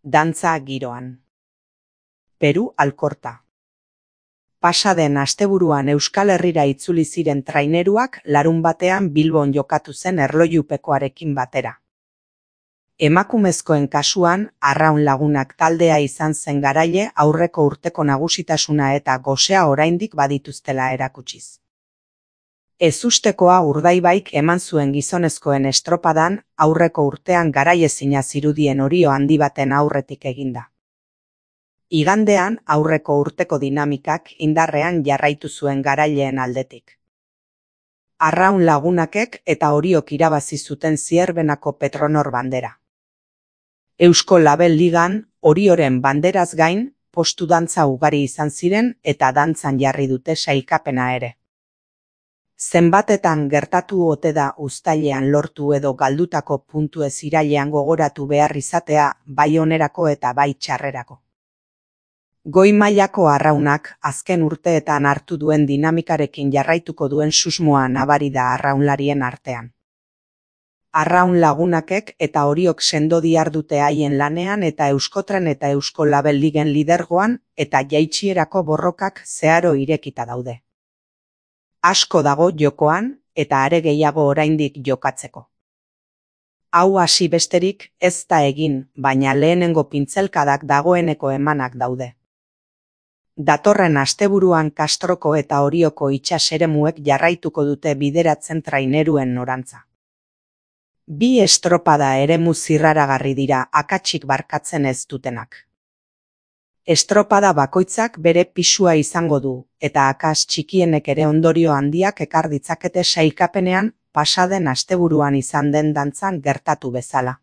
Dantza giroan. Peru Alkorta. Pasaden asteburuan Euskal Herrira itzuli ziren traineruak larunbatean Bilbon jokatu zen erlojupekoarekin batera. Emakumezkoen kasuan, Arraun Lagunak taldea izan zen garaile aurreko urteko nagusitasuna eta gosea oraindik badituztela erakutsiz. Ezustekoa Urdaibaik eman zuen gizonezkoen estropadan aurreko urtean garaiezina zirudien orio handi baten aurretik eginda. Igandean aurreko urteko dinamikak indarrean jarraitu zuen garaileen aldetik. Arraun Lagunakek eta Oriok irabazi zuten Zierbenako Petronor bandera. Eusko Label Ligan, Orioren banderaz gain, postu dantza ugari izan ziren eta dantzan jarri dute sailkapena ere. Zenbatetan gertatu ote da uztailean lortu edo galdutako puntuez irailean gogoratu behar izatea bai onerako eta bai txarrerako. Goi mailako Arraunak azken urteetan hartu duen dinamikarekin jarraituko duen susmoa nabari da arraunlarien artean. Arraun Lagunakek eta Oriok sendo dihardute haien lanean eta Euskotren eta Eusko Label Ligen lidergoan eta jaitsierako borrokak zeharo irekita daude. Asko dago jokoan eta are gehiago oraindik jokatzeko. Hau hasi besterik ez da egin, baina lehenengo pintzelkadak dagoeneko emanak daude. Datorren asteburuan Kastroko eta Orioko itsas eremuek jarraituko dute bideratzen traineruen norantza. Bi estropada eremu zirraragarri dira akatsik barkatzen ez dutenak. Estropada bakoitzak bere pisua izango du, eta akats txikienek ere ondorio handiak ekar ditzakete sailkapenean pasaden asteburuan izan den dantzan gertatu bezala.